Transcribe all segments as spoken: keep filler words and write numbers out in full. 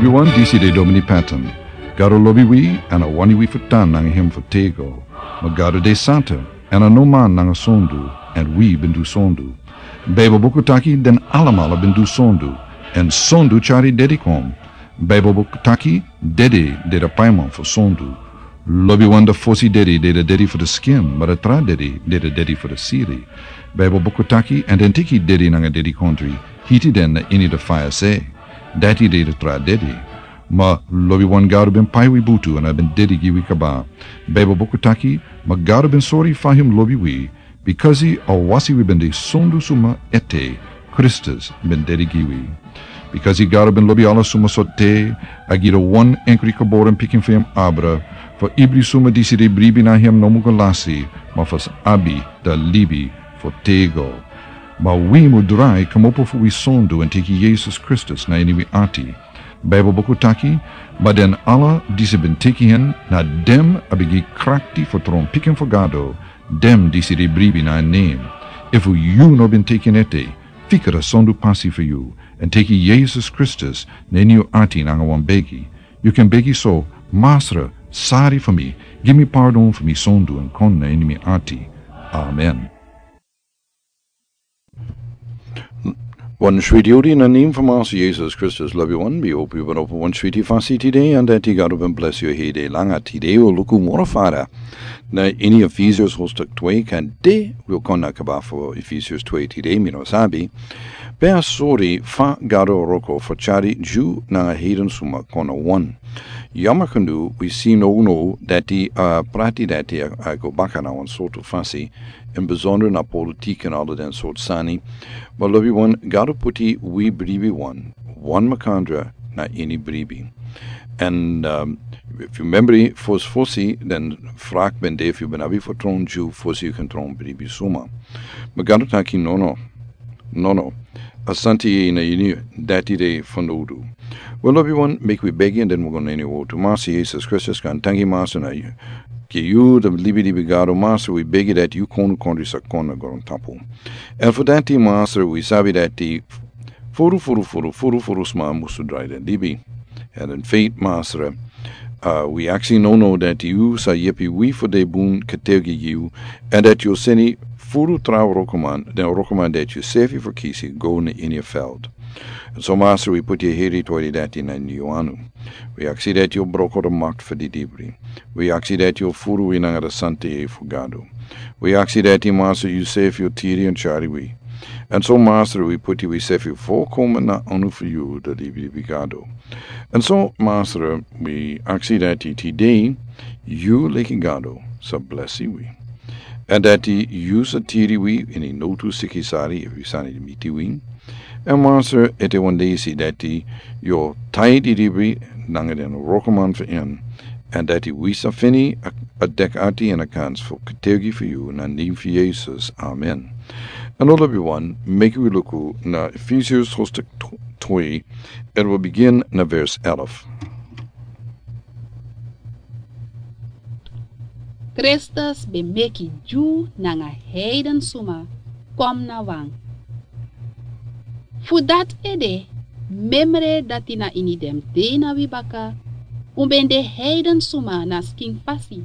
Wi wan disi de Domini Patton. Gado lobi wi, èn a wani wi fu tan nanga hem fu tego. Ma Gado de santa, èn a no man nanga sondu, èn wi ben du sondu. Baibel buku taki den alamala ben du sondu, èn sondu tyari dedi kon. Baibel buku taki dedi de da paiman fu sondu. Lobi wan da fosi dedi de da dedi fu da skin, ma da tra dedi de da dedi fu da siri. Baibel buku taki, èn den tiki dedi nanga dedi kontri, hiti den na ini da faya se. Dati de da tra dedi. Ma lobi wan Gado ben pai wi butu èn a ben dedi gi wi kaba. Baibel buku taki, ma Gado ben sori fa hem lobi wi, bikasi a wasi wi ben de sondu suma ete, Kristus ben dedi gi wi. Bikasi Gado ben lobi ala suma so te, a gi da wan enkri geboren pikin fu hem abra, fu ibri suma disi de bribi na hem no mu go lasi, ma fu sa abi da libi fu tego. Ma wi mu drai kmopo fu wi sondu èn teki Yesus Kristus na ini wi ati. Baibel buku taki, ma den ala disi ben teki hen, na dem a ben gi krakti fu tron pikin fu Gado, dem disi de bribi na en nem. Efu yu no ben teki en ete, fika da sondu pasi fu yu, èn teki Yesus Kristus na ini yu ati nanga wan begi. Yu kan begi so, Masra, sari fu mi, gi mi pardon fu mi sondu èn kon na ini mi ati. Amen. Wan switi odi na nem fu Masra Yesus Kristus, lobi wan, mi hopi wan opo wan switi fasi tide, èn dati Gado ben blesi yu hede langa tide, wi luku moro fara. Na ini Efesius hoofdstuk twee, kan de wi kon na kaba fu Efesius twee tide, mi no sabi. Pe a sori fa Gado wroko fu tyari Dyu nanga heiden suma kon na wan. Yama kan du, wi si no no dati, a prati dati a, a go baka na wan sortu fasi, in bijzonder na politiek en ala den sortu sani. Ma lobi wan, Gado puti wi bribi wan, wan makandra na ini bribi. En, ehm, efu yu membri fosi fosi, den frak ben de efu yu ben abi fu tron Dyu fosi yu kan tron bribi suma. Ma Gado taki no no. No no. A santi na ini dati de fanowdu. Wel, lobi wan, meki wi begi èn den wi go na ini wortu. Masra Yesus Kristus, kan tangi Masra na yu. Gi yu da libi libi Gado Masra, wi begi dati yu kon kondre sa kon na grontapu. En fu dati Masra, wi sabi dati furu furu furu furu furu sma musu drai den libi. En in feit Masra, a, wi aksi no no dati yu sa yepi wi fu de bun kategi yu, en dati yu seni furu tra wrokoman, den wrokoman dati yu sefi fu kisi go na ini a veld. En so Masra, wi puti a heri tori dati na ini yu anu. Wi aksi dati yu broko da makti fu di dibri. Wi aksi dati yu furu wi nanga da santa yeye fu Gado. Wi aksi dati Masra yu sefi yu tiri en tyari wi. En so Masra, wi puti wi sefi volkomen na anu fu yu da libi libi Gado. En so Masra, wi aksi dati tide yu leki Gado sa blesi wi. En dati yu sa tiri wi ini notu siki sari efu yu sani miti wi. En Masra, ete wan dei si dati yu o tai di dibri nanga den wrokoman fu en. En dati wi sa feni a, a dek ati en a kans fu kategi fu yu na nen fu Yesus. Amen. En lobi wan, meki wi luku na Efesius hoofdstuk twee, en wi begin na vers elf. Kristus ben meki Dyu nanga heiden suma kon na wan. Fu dati ede, memre dati na ini den dei na wi baka, un ben de heiden suma na skin fasi.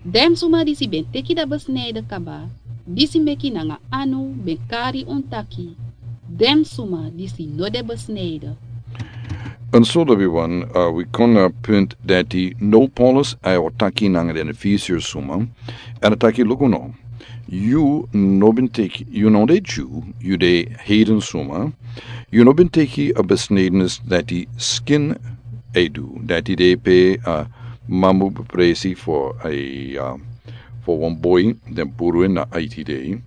Den suma disi ben teki da besnijden kaba, disi meki nanga anu ben kari un taki, den suma disi no de besnijden. En so lobi wan, a, wi kon na punt dati now Paulus a o taki nanga den Efesius suma, en a taki luku no. Yu no ben teki, yu no de Dyu, yu de heiden suma. Yu no ben teki a besnedenis dati skin e du, dati de pe, a, man mu be presi fu a, a, fu wan boi, den puru en na aiti dei.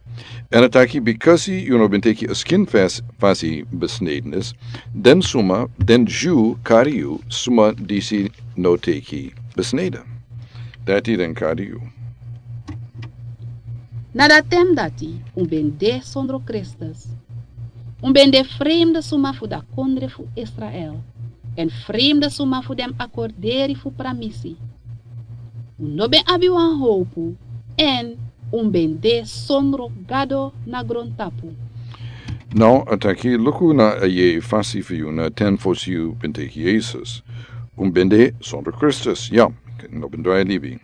En a taki bikasi yu no ben teki a skin fas, fasi besnedenis, den suma, den Dyu kari yu, suma disi no teki besneden. Dati den kari yu. Na da ten dati un ben de sondro Kristus. Un ben de fremde suma fu da kondre fu Israel, en fremde suma fu den akorderi fu pramisi. Un no ben abi wan howpu, en un ben de sondro Gado na grontapu. Now a taki, luku na a yeye fasi fu yu na ten fosi yu ben teki Yesus. Un ben de sondro Kristus, ya, no ben drai libi.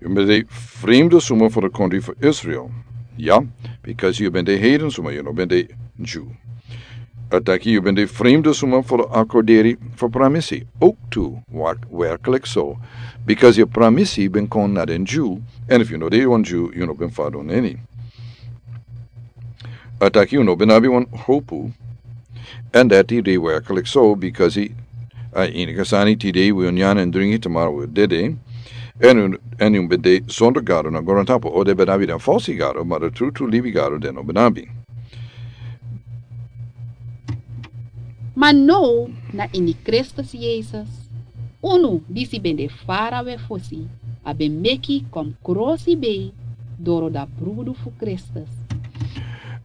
Yu ben de fremde suma fu de kondri fu Israel, ya, bikasi yu ben de heiden suma, yu no ben de Ju. A taki yu ben de fremde suma fu de akorderi fu pramisi, ook tu, wak-, werklik so, bikasi yu pramisi ben kon na den Ju, en efu yu no de wan Ju, yu no ben fadon eni. A taki yu no ben abi wan hopu, en dati de werklik so, bikasi a ini kasani tide wi o nyan en dringi, tomorrow wi o dede, en un, en un ben de sondro Gado na grontapu, o den ben abi den falsi gado, ma de tru tru libi Gado den no ben abi. Ma now na ini Kristus Yesus, unu disi ben de farawe fosi, a ben meki kon krosibei doro da brudu fu Kristus.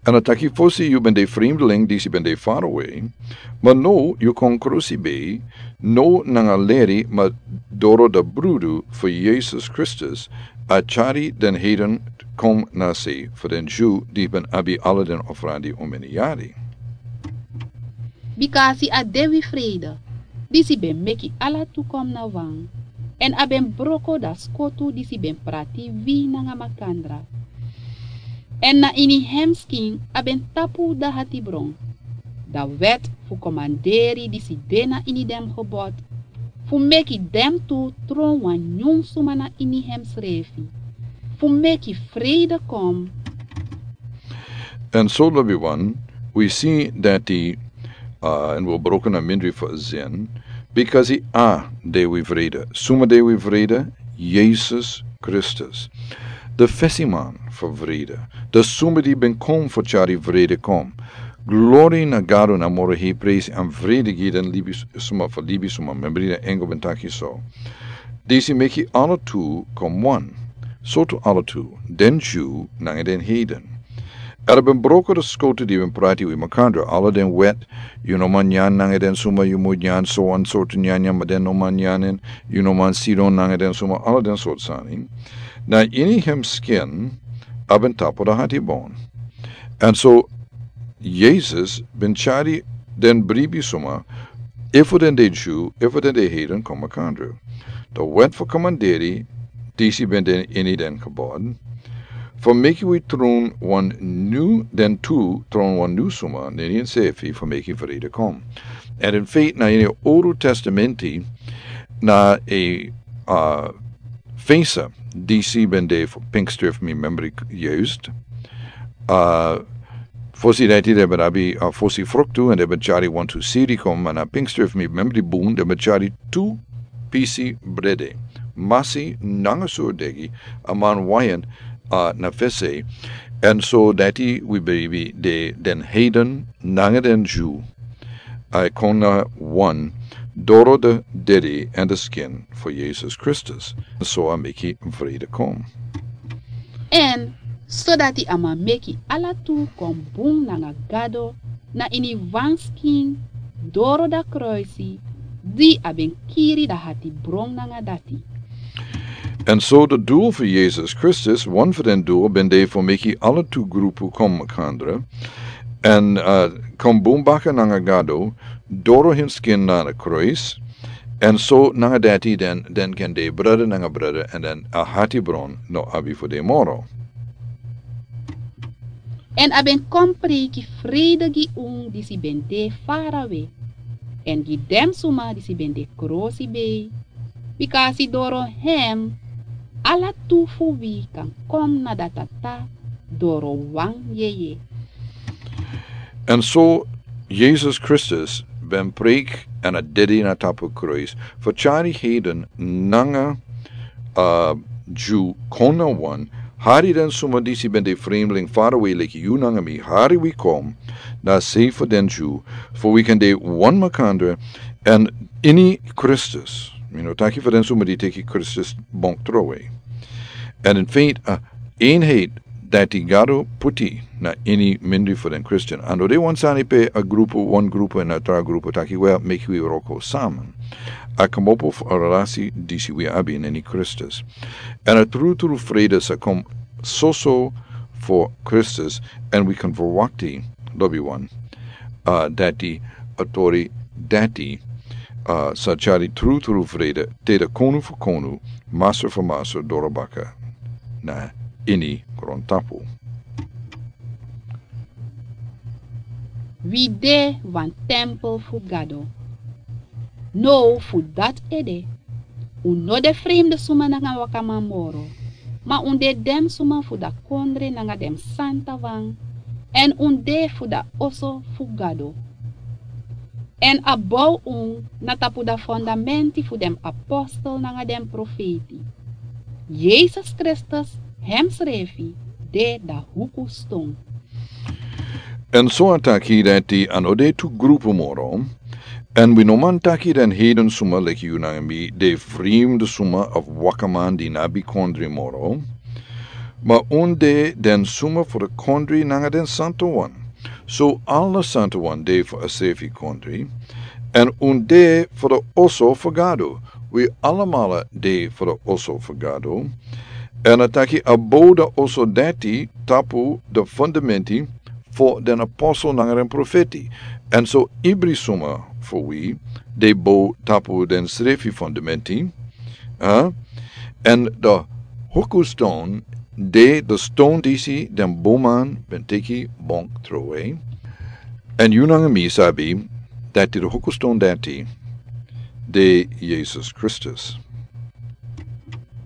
En a taki fosi yu ben de fremdeling disi ben de farawe, ma now yu kon krosibei, no nanga leri ma doro da brudu fu Yesus Kristus, a tyari den heiden kon na sei fu den Ju di ben abi ala den ofrandi un meni yari. Bikasi a de wi frede, disi ben meki ala tu kon na wan, en a ben broko da skotu disi ben prati wi nanga makandra. En na ini hem skin a ben tapu da hatibron, da wet fu komanderi disi de na ini den gebod, fu meki den tu tron wan nyun suma na ini hem srefi, fu meki frede kon. En so lobi wan, wi si dati, uh, en wi o broko na mindri fu a zin, bikasi a de wi frede. Suma de wi frede? Yesus Kristus. De fesiman fu frede. De suma di ben kon fu tyari frede kon. Glori na Gado na moro hei presi, en frede gi den libi s-, suma fu libi suma. Membri den engel ben taki so. Disi meki ala tu kon wan. Sortu ala tu, den Ju nanga den heiden. Era ben broko de skotu di ben prati wi makandra, ala den wet, yu no man nyan nanga den suma, yu mu nyan so wan sortu nyanyan, ma den no man nyan en, yu no man sidon nanga den suma, ala den sortu sani. Na ini hem skin a ben tapu da hatibron. En so Yesus ben tyari den bribi suma, efu den de Ju, efu den de heiden kon makandra. De wet fu komanderi disi ben de ini den gebod, fu meki wi tron wan nyun, den tu tron wan nyun suma na ini ensefi, fu meki frede kon. En in feite na ini Owru Testamenti na a, uh, fensa disi ben de fu Pinkster, efu mi memri juist. Uh, fosi dati den ben abi, uh, fosi fruktu, en den ben tyari wantu sidi kon, ma na Pinkster, efu mi memri bun, den ben tyari tu pisi brede, masi nanga surdegi, a man wayan, uh, na fesi. En so dati wi bribi de den heiden nanga den Ju a kon na wan, doro de dede en de skin fu Yesus Kristus. So a meki frede kon. En so dati a man meki ala tu kon bun nanga Gado na ini wan skin, doro da kruisi di a ben kiri da hatibron nanga dati. En so de dul fu Yesus Kristus, wan fu den dul ben de fu meki ala tu grupu kon makandra, en, uh, kon bun baka nanga Gado, doro hem skin na a kruis, en so nanga dati den, den kan de brada nanga brada, en den a hatibron no abi fu de moro. En a ben kon preiki frede gi un disi ben de farawe, en gi den suma disi ben de krosibei, bikasi doro hem ala tu fu wi kan kon na da Tata doro wan yeye. En so Yesus Kristus ben preiki en a dede na tapu kruis fu tyari heiden nanga, uh, Ju kon na wan, hari den suma disi ben de fremdeling farawe leki yu nanga mi, hari wi kon na sei fu den Ju, fu wi kan de wan makandra, en ini Kristus. Mi no taki fu den suma di teki Kristus bonk trowe. En in feite, uh, eenheid dati Gado puti na ini mindri fu den Kristin. A no de wan sani pe a grupu, wan grupu en a tra grupu taki, wel, meki wi wroko samen. A komopo fu a relasi disi wi abi na ini Kristus. En a tru tru frede sa kon soso fu Kristus, en wi kan verwakti lobi wan, a dati, a tori dati, a sa tyari trutru frede te de konu fu konu, masra fu masra dorobaka na ini grontapu. Wi de wan tempel fu Gado. Now fu dati ede, un no de fremde suma nanga wakaman moro, ma un de den suma fu da kondre nanga den santa wan, èn un de fu da oso fu Gado. Èn a bow un na tapu da fondamenti fu den apostel nanga den profeti. Yesus Kristus hemsrefi de da hukuston. Èn so a taki dati a no de tu grupu moro, èn wi no man taki den heiden suma leki yu nanga mi de fremde suma of wakaman di no abi kondre moro, ma un de den suma fu da kondre nanga den santa wan. So ala santa wan de fu a srefi kondre, èn un de fu da oso fu Gado. Wi alamala de fu da oso fu Gado. Èn a taki a bow da oso dati tapu da fondamenti fu den apostel nanga den profeti. Èn so ibri suma fu wi de bow tapu den srefi fondamenti. A èn da hukuston de da ston disi den bowman ben teki bong trowe. Èn yu nanga mi sabi dati da hukuston dati de Yesus Kristus.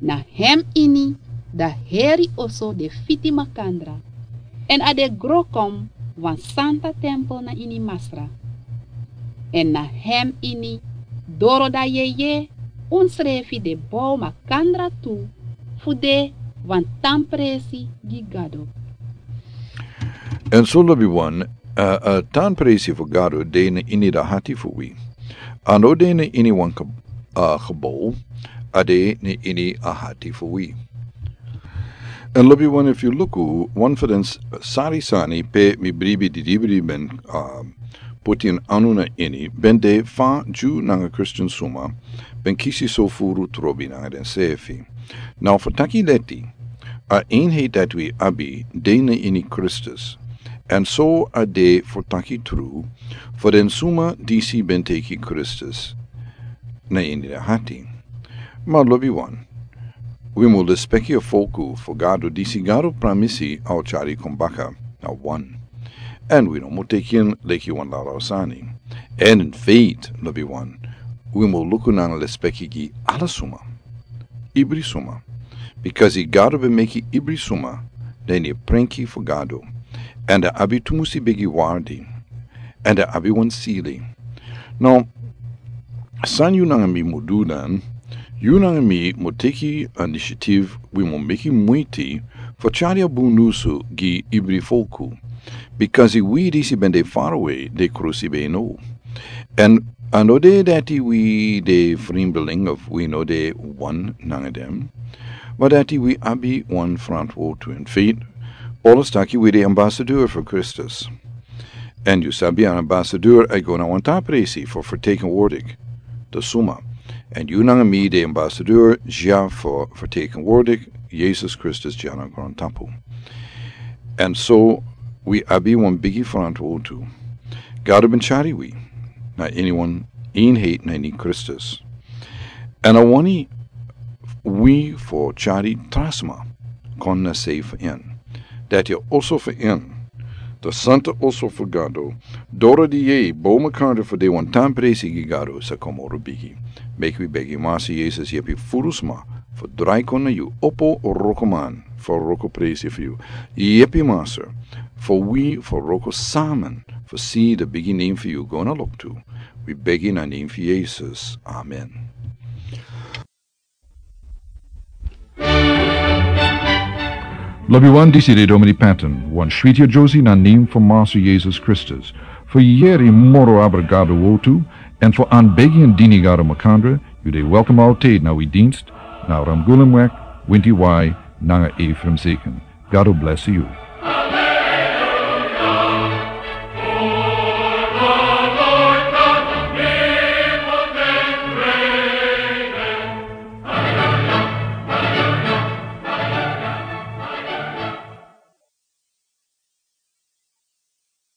Na hem ini da heri oso de fiti makandra, èn a de gro kon wan santa tempel na ini Masra. Èn na hem ini doro da yeye unsrefi de bow makandra tu fu de wan tan presi gi Gado. Èn so lobi wan, a, a tan presi fu Gado de na ini da hati fu wi. A no de na ini wan kab-, a, gebow, a de na ini a hati fu wi. Èn lobi wan, efu yu luku wan fu den s-, sari sani pe mi bribi didibri ben, a, putin anu na ini, ben de fa Dyu nanga Kristin suma ben kisi sofuru trobi nanga densrefi. Now fu taki leti, a enheid dati wi abi de na ini Kristus, èn so a de fu taki tru fu den suma disi ben teki Kristus na ini den hati. Ma lobi wan, wi mu lespeki a folku fu Gado disi Gado pramisi a o tyari kon baka na wan. Èn wi no mu teki en leki wan lala sani. Èn in feit, lobi wan, wi mu luku nanga lespeki gi ala suma, ibri suma. Bikasi Gado ben meki ibri suma na ini a prenki fu Gado. Èn den abi tumusi bigi wardi. Èn den abi wan sili. Now, san yu nanga mi mu du dan, yu nanga mi mu teki a inisiatif, wi mu meki muiti fu tyari a bun nyunsu gi ibri folku. Bikasi wi disi ben de farawe de krusi ben now. Èn a no de dati wi de fremdeling of wi no de wan nanga den, ma dati wi abi wan frantwortu. In feit, Paulus taki wi de ambasador fu Kristus. Èn yu sabi an ambasador e go na wan tan presi fu fertekenwordik den suma. Èn yu nanga mi de ambasador dya fu fertekenwordik Yesus Kristus dya na grontapu. Èn so wi abi wan bigi frantwortu. Gado ben tyari wi na ini wan enheid na ini Kristus. Èn a wani wi fu tyari tra sma kon na sei fu en. Dati a oso fu en, da santa oso fu Gado, doro di yeye bow makandra fu de wan tan presi gi Gado sa kon moro bigi. Meki wi begi Masa Yesus yepi furu sma fu drai kon na yu, opo wrokoman fu wroko presi fu yu. Yepi Masa fu wi fu wroko samen fu si da bigi nen fu yu go na loktu. Wi begi na nen fu Yesus. Amen. Lobi wan, disi de Domini Patton, wan switi a Josi na nen fu Masa Yesus Kristus. Fu yeri moro abra Gado wortu, èn fu anbegi èn dini Gado makandra, yu de welkom altijd na wi dienst, na Ramgulemweg, winti wai, nanga Ephraim Zeken. Gado blesi yu.